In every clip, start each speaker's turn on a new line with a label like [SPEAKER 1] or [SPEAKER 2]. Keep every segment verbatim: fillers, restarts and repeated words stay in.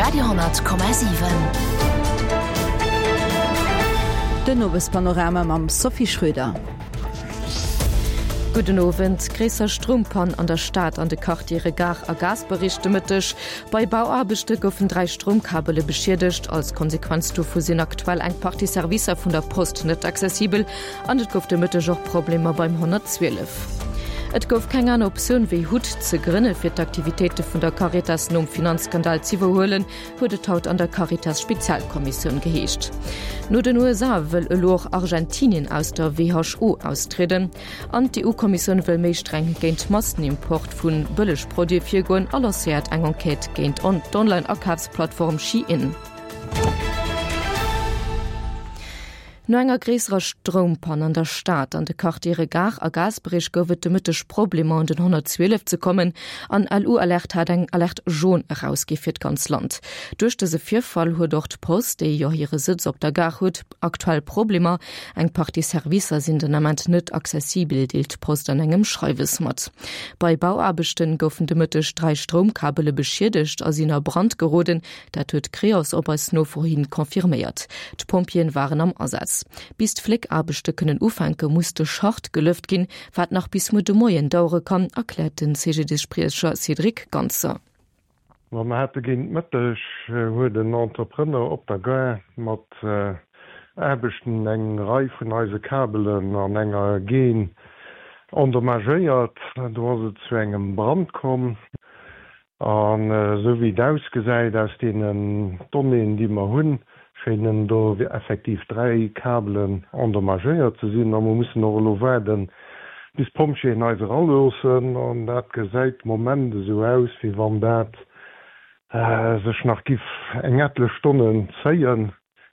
[SPEAKER 1] Radio honnert Komma siwen.
[SPEAKER 2] Den Owespanorama mam Sophie Schröder.
[SPEAKER 3] Gudden Owend. Gréisser Stroumpann an der Stad an de Quartiere Gare a Gaasperech de Mëtteg. Bei Bauaarbechte goufen dräi Stroumkabele beschiedegt. Als Konsequenz dovu sinn aktuell eng Partie Servicer vun der Post net accessibel an et gouf de Mëtteg och Problemer beim honnertzwielef. Et gouf keng aner Optioun wéi hut ze grënne fir d'Aktivitéite vun der Caritas nom Finanzskandal z'iwwerhuelen, huet et haut an der Caritas-Spezialkommissioun geheescht. No den U S A wëll elo och Argentinien aus der W H O austrieden. An d'E U-Kommissioun wëll méi streng géint Massenimport vu Bëllegproduite virgoen a lancéiert eng Enquête géint d'Online-Akafsplattform Shein. No enger gréisserer Stroumpann an der Stad an de Quartiere Gare a Gaasperech gouf et de Mëtteg Problemer un den honnertzwielef ze kommen an L U-Alert hat eng Alerte jaune erausgi fir d'ganz Land. Duerch dëse Virfall huet och d'Post, déi jo hire Sëtz op der Gare huet, aktuell Problemer. Eng Partie Servicer sinn den Ament net accessibel, deelt d'Post an engem Schreiwes mat. Bei Bauaarbechten goufen de Mëtteg dräi Stroumkabele beschiedegt a sinn a Brand geroden. Dat huet Creos op eis Nofro hin confirméiert. D'Pompjeeën waren am Asaz. Bis d'Fléckaarbechte kënnen ufänke muss de Schacht gelëft ginn, wat nach bis muer de Moien dauere kann, erkläert den C G D-Spriecher Cédric Ganzer.
[SPEAKER 4] Ma mir hate géint Mëtteg, huet en Entrepreneur op der Gare mat, äh, Aarbechten eng Rei vun eise Kabelen an enger Gaine endommagéiert. Do ass et zu engem Brand komm. An, äh, sou wéi et ausgesäit aus deenen Donnéeën, déi mer hunn, schéinen do effektiv dräi Kabelen endommagéiert ze sinn. A mer mussen och elo waarden, bis d'Pompjeeën eis eraloossen. An dat gesäit Moment esou aus, wéi wann dat, äh, sech nach giff eng etlech Stonnen zéien.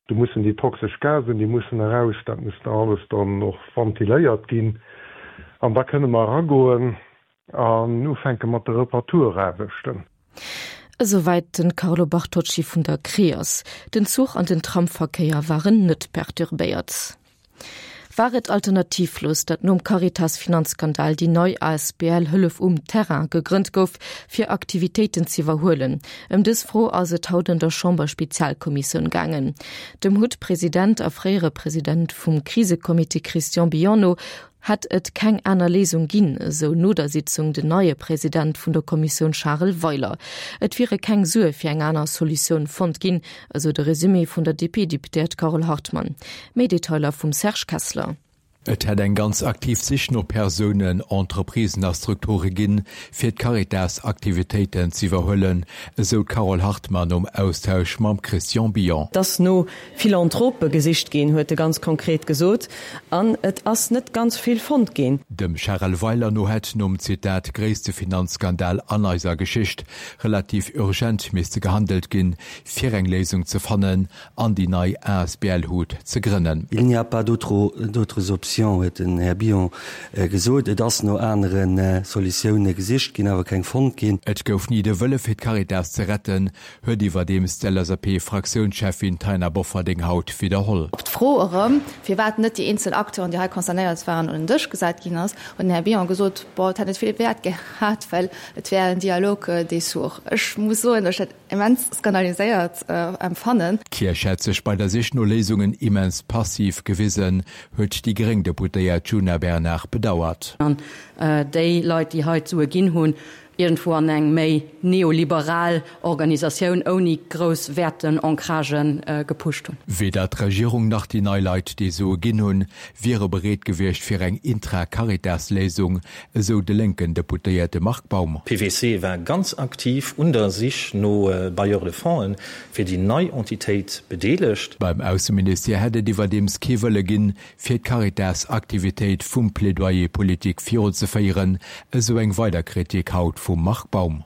[SPEAKER 4] Do mussen déi toxesch Gasen, déi mussen eraus, dat muss da alles dann och ventiléiert ginn. An da kënne mer eragoen an ufänke mat de Reparaturaarbechten.
[SPEAKER 3] Esouwäit den Carlo Bartocci vun der Creos. Den Zuch an den Tramverkéier waren net perturbéiert. War et alternativlos, dat nom Caritas-Finanzskandal déi nei A S B L Hëllef um Terrain gegrënnt gouf, fir Aktivitéiten ze iwwerhuelen? Ëm dës Fro ass et haut an der Chamberspezialkommissioun gaangen. Dem H U T-President a fréiere President vum Krisekommitee Christian Billon no hätt et keng aner Léisung ginn, esou no der Sitzung den neie President vun der Kommissioun Charel Weiler. Et wiere keng Sue fir eng aner Solutioun fonnt ginn, esou de Resumé vun der D P-Deputéiert Carole Hartmann. Méi Detailer vum Serge Kessler.
[SPEAKER 5] Et hätt eng ganz aktiv Sich no Persounen, Entreprisen a Strukture ginn, fir d'Caritas-Aktivitéiten ze iwwerhuelen, esou d'Carole Hartmann um Austausch mam Christian Billon.
[SPEAKER 6] Dass no Philanthrope gesicht ginn, huet e ganz konkret gesot, an et ass net ganz vill fonnt ginn.
[SPEAKER 5] Dem Charel Weiler no hätt nom Zitat gréisste Finanzskandal an eiser Geschicht relativ urgent misste gehandelt ginn, fir eng Léisung ze fannen an déi nei A S B L H U T ze grënnen.
[SPEAKER 7] Il n'y a pas d'autres, d'autres options, huet den Här Billon, äh, gesot. Et ass no aneren, äh, Solutioune gesicht ginn, awer keng fonnt ginn.
[SPEAKER 5] Et gouf nie de Wëlle fir d'Caritas ze retten, huet iwwerdeems d'L S A P-Fraktiounschefin Taina Bofferding haut wiederholl.
[SPEAKER 8] Op d'Fro erëm, firwat net déi eenzel Acteuren, déi hei concernéiert waren, un den Dësch gesat ginn ass, huet den Här Billon gesot, boah, et hätt net vill Wäert gehat, well et wär en Dialog, äh, des sourds. Ech muss soen, ech hätt immens skandaliséiert, äh, empfannen.
[SPEAKER 5] D'Kierch hätt sech bei der Sich no Léisungen immens passiv gewisen, huet déi gréng Deputéiert Djuna Bernard bedauert.
[SPEAKER 9] An, äh, déi Leit, déi hei Sue ginn hunn, irgendwo an eng méi neoliberal Organisatioun ouni grouss Wäerten, Ancragen, äh, gepusht hunn.
[SPEAKER 5] Weder d'Regierung nach déi nei Leit, déi Sue ginn hunn, wiere bereet gewiescht fir eng Intra-Caritas-Léisung, esou de lénken Deputéierte Marc Baum.
[SPEAKER 10] P W C war ganz aktiv un der Sich no, äh, Bailleurs de Fonds fir déi nei Entitéit bedeelegt.
[SPEAKER 5] Beim Ausseministère hätt et iwwerdeems kee Wëlle ginn, fir d'Caritas-Aktivitéit vum Plädoyer politique viruzeféieren, esou eng weider Kritik haut vum Marc Baum.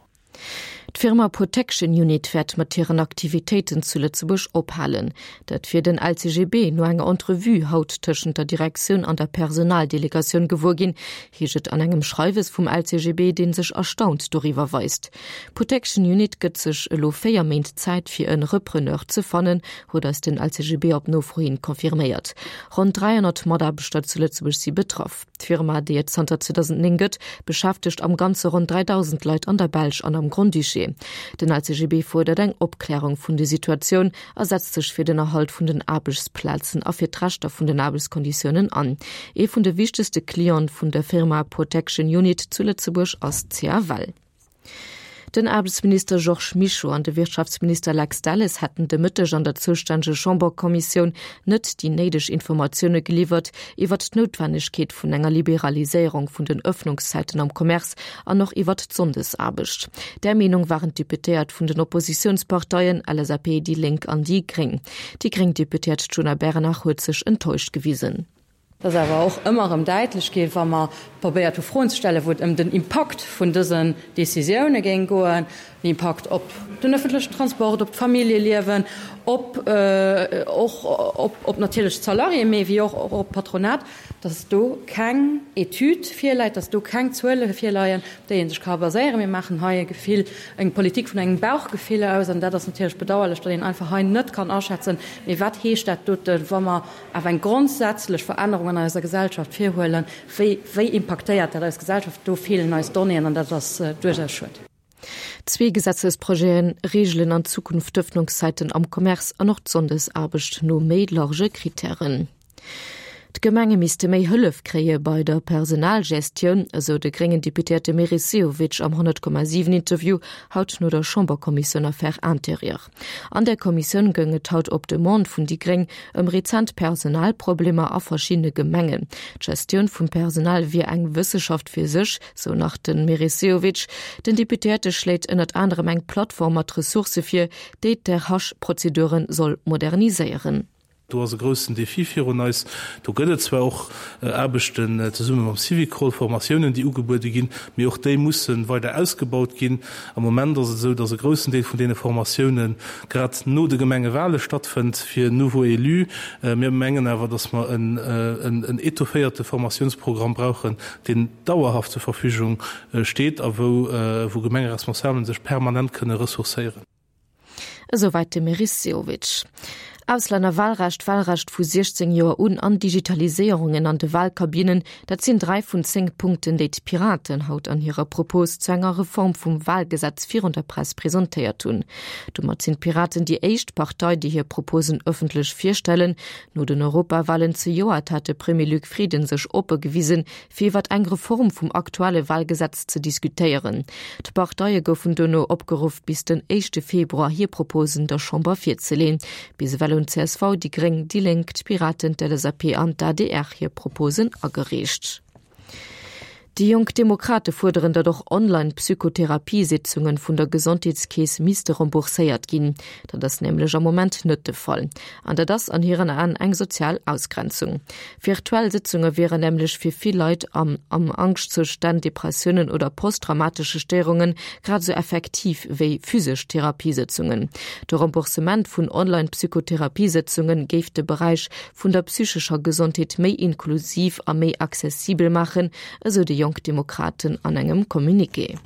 [SPEAKER 3] D'Firma Protection Unit wäert mat hiren Aktivitéiten zu Lëtzebuerg ophalen. Dat fir den L C G B no enger Entrevue haut tëschent der Direktioun an der Personaldelegatioun gewuer ginn, heescht et an engem Schreiwes vum L C G B, deen sech erstaunt doriwwer weist. Protection Unit gëtt sech elo véier Méint Zäit fir en Repreneur ze fannen, huet eis den L C G B op Nofro hin confirméiert. Rund dreihundert Mataarbechter zu Lëtzebuerg si betraff. D'Firma, déi et zanter zweitausendnéng gëtt, beschäftegt am Ganze rund dreitausend Leit an der Belsch an am Grand-Duché. Dossier. Den LCGB fuerdert eng Opklärung vun der Situatioun a setzt sech fir den Erhalt vun den Aarbechtsplazen a fir d'Rechter vun den Aarbechtskonditiounen an. Ee vun de wichtegste Cliente vun der Firma Protection Unit zu Lëtzebuerg ass CFL. Den Aarbechtsminister Georges Mischo an de Wirtschaftsminister Lex Delles hätten de Mëtteg an der zoustänneger Chamberkommissioun net déi néideg Informatioune geliwwert iwwert d'Noutwennegkeet vun enger Liberaliséierung vun den Ëffnungszäiten am Commerce an och iwwert d'Sonndesaarbecht. Där Meenung waren d'Deputéiert vun den Oppositiounsparteien LSAP, déi Lénk an déi Gréng. Déi gréng Deputéiert Djuna Bernard huet sech enttäuscht gewisen.
[SPEAKER 9] Et ass awer och ëmmer erëm däitlech ginn, wa mer probéiert hu Froen ze stellen, wou et ëm den Impakt vun dësen Décisioune géing goen, den Impakt op den öffentlechen Transport, op d'Familljeliewen, op och op natierlech d'Salariéen, mee wéi och op d'Patronat, dass do keng Etüd virläit, dass do keng Zuele virleien, op déi ee sech ka baséieren. Mir maachen hei e Gefill, eng Politik vun engem Bauchgefill aus, an dat ass natierlech bedauerlech, datt een einfach hei net kann aschätzen, mee wat heescht dat doten, wa mer awer eng grondsätzlech Verännerung an eiser Gesellschaft virhuelen, wéi, wéi impaktéiert dat eis Gesellschaft? Do feelen eis Donnéeën an dat ass duerchaus schued.
[SPEAKER 3] Zwee Gesetzesprojete reegelen an Zukunft d'Ëffnungszäiten am Commerce an och d'Sonndesaarbecht no méi large Krittären. D'Gemenge misste méi Hëllef kréie bei der Personalgestioun, esou de gréngen Deputéierte Meris Sehovic am honnert Komma siwen Interview haut no der Chamberkommissioun Affaires intérieures. An der Kommissioun goung et haut op Demande vun déi gréng ëm rezent Personalproblemer a verschiddene Gemengen. D'Gestioun vum Personal wier eng Wësseschaft fir sech, sou nach de Meris Sehovic. Den Deputéierte schléit ënnert anerem eng Plattform mat Ressourcë vir, déi d'RH-Prozedure soll moderniséieren.
[SPEAKER 1] Do ass e groussen Defi virun eis. Do gëtt et zwar och Aarbechten zesumme mam Syvicol, Formatiounen, déi ugebuede ginn, mee och déi musse weider ausgebaut ginn. Am Moment ass et esou, datt e groussen Deel vun deene Formatioune grad no de Gemengewale stattfënnt fir nouveaux élus. Mir mengen awer, datt mer en étofféierte Formatiounsprogramm brauchen, deen dauerhaft zur Verfügung steet a wou Gemengeresponsabelen sech permanent kënne ressourcéieren.
[SPEAKER 3] Esouwäit de Meris Sehovic. Auslännerwahlrecht, Wahlrecht vu siechzéng Joer un an Digitaliséierungen an de Wahlkabinnen, dat sinn dräi vun zéng Punkten, déi d'Piraten haut an hirer Propos zu enger Reform vum Wahlgesetz virun der Press presentéiert hunn. Domat sinn d'Piraten déi éischt Partei, déi hir Proposen ëffentlech virstellen. No den Europawahlen zejoert hat de Premier Luc Frieden sech oppe gewisen, fir iwwert eng Reform vum aktuelle Wahlgesetz ze diskutéieren. D'Parteie goufen duerno opgeruff, bis den éischte Februar hir Proposen der Chamber virzeleeën. Bis ewell hunn csv, déi Gréng, déi Lénk, d'Piraten, d'LSAP an d'ADR hir Proposen agereecht. Déi Jonk Demokrate fuerderen, datt och Online-Psychotherapiesitzunge vun der Gesondheetskeess misste rembourséiert ginn. Dat ass nämlech am Moment net de Fall. An dat ass an hiren Aen eng sozial Ausgrenzung. Virtuell Sitzunge wieren nämlech fir vill Leit am am Angschtzoustänn, Depressiounen oder posttraumatesche Stéierungen grad esou effektiv wéi physesch Therapiesëtzungen. De Remboursement vun Online-Psychotherapiesëtzunge géif de Beräich vun der psychescher Gesondheet méi inklusiv a méi accessibel maachen, esou déi Jonk Demokraten an engem Communiqué.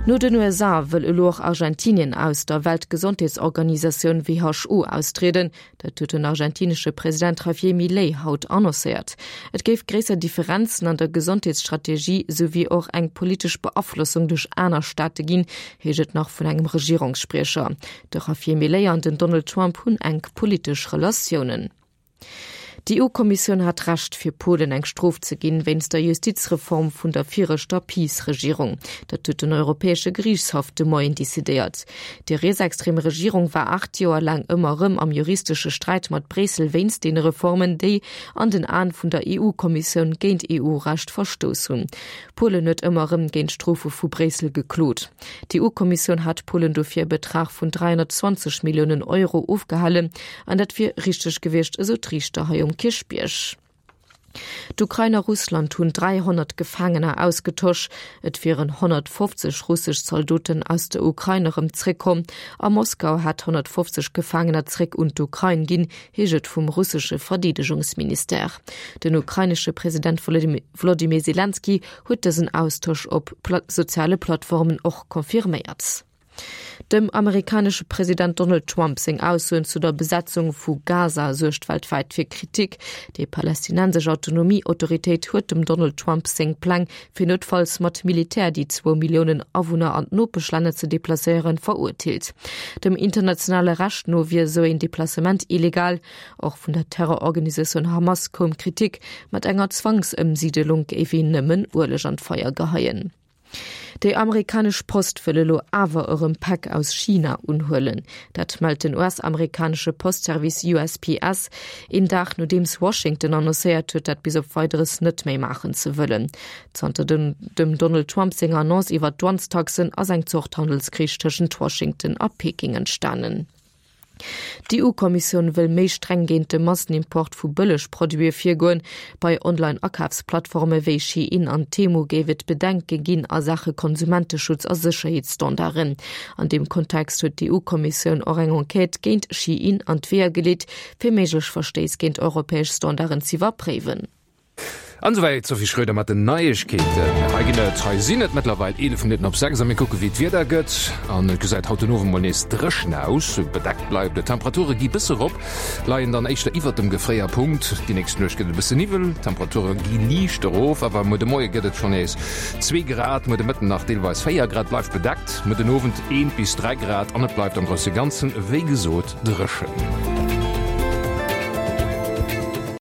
[SPEAKER 3] No den U S A wëll elo och Argentinien aus der Weltgesondheetsorganisatioun W H O austrieden. Dat huet den argentinesche President Javier Milei haut annoncéiert. Et géif gréisser Differenzen an der Gesondheetsstrategie souwéi och eng politesch Beaflossung duerch aner Staate ginn, heescht et nach vun engem Regierungsspriecher. De Javier Milei an den Donald Trump hunn enk politesch Relatiounen. D'EU-Kommissioun hat Recht, fir Polen eng Strof ze ginn, wéinst der Justizreform vun der viregter PiS-Regierung. Dat huet den Europäesche Geriichtshaff de Moien decidéiert. Déi rietsextrem Regierung war aacht Joer laang ëmmer erëm am juristesche Sträit mat Bréissel wéinst deene Reformen, déi an den Aen vun der E U-Kommissioun géint E U-Recht verstouss hunn. Polen huet ëmmer erëm géint d'Strofe vu Bréissel geklot. D'EU-Kommissioun hat Polen dofir e Betrag vun dräihonnertzwanzeg Milliounen Euro ofgehalen, an dat wier richteg gewiescht, esou d'Riichter hei um Kierchbierg. D'Ukrain a Russland hunn dräihonnert Gefaangener ausgetosch. Et wieren honnertfofzeg russesch Zaldoten aus der Ukrain erëm zréckkomm a Moskau hätt honnertfofzeg Gefaangener zréck un d'Ukrain ginn, heescht et vum russesche Verdeedegungsministère. Den ukrainesche President Wolodymyr Selenskyj huet dësen Austosch op soziale Plattformen och confirméiert. Dem amerikanesche President Donald Trump seng Aussoen zu der Besetzung vu Gaza suergt weltwäit fir Kritik. Déi palästinensesch Autonomie-Autoritéit huet dem Donald Trump seng Pläng, fir noutfalls mat Militär déi zwou Milliounen Awunner an d'Nopeschlänner ze deplacéieren, verurteelt. Dem internationale Recht no wier esou een Deplacement illegal. Och vun der Terrororganisatioun Hamas koum Kritik, mat enger Zwangsëmsiidelung géif een nëmmen Ueleg an d'Feier geheien. Déi amerikanesch Post wëll elo awer erëm Päck aus China unhuelen. Dat mellt den US-amerikanesche Postservice U S P S, een Dag nodeems Washington annoncéiert huet, dat bis op Weideres net méi maachen ze wëllen. Zanter dem dem Donald Trump senger Annonce iwwer d'Douanestaxen ass eng Zort Handelskrich tëschent Washington a Peking entstanen. D'EU-Kommissioun wëll méi streng géint de Massenimport vu Bëllegproduite virgoen. Bei Online-Akafsplattforme wéi Shein an Temu géif et Bedenke ginn a Saache Konsumenteschutz a Sécherheetsstandarden. An deem Kontext huet d'EU-Kommissioun och eng Enquête géint Shein an d'Weeër geleet, fir méiglech Verstéiss géint europäesch Standarden z'iwwerpréiwen.
[SPEAKER 11] An esouwäit d'Sophie Schröder mat den Neiegkeeten. Hei ginn et, hei sinn et mëttlerweil eelef Minutten op sechs a mir kucke wéi d'Wieder gëtt. An et gesäit haut den Owend mol nees dréchen aus, bedeckt bleift et. D'Temperature gi bësse rop, leien dann éischter iwwert dem Gefréierpunkt. Déi nächst Nuecht gëtt et e bësse Niwwel, d'Temperature gi liicht erof, awer muer de Moie gëtt et schonn nees zwee Grad, muer de Mëtten nach deelweis véier Grad, bleift bedeckt, muer den Owend eent bis dräi Grad an et bleift am grousse Ganzen wéi gesot dréchen.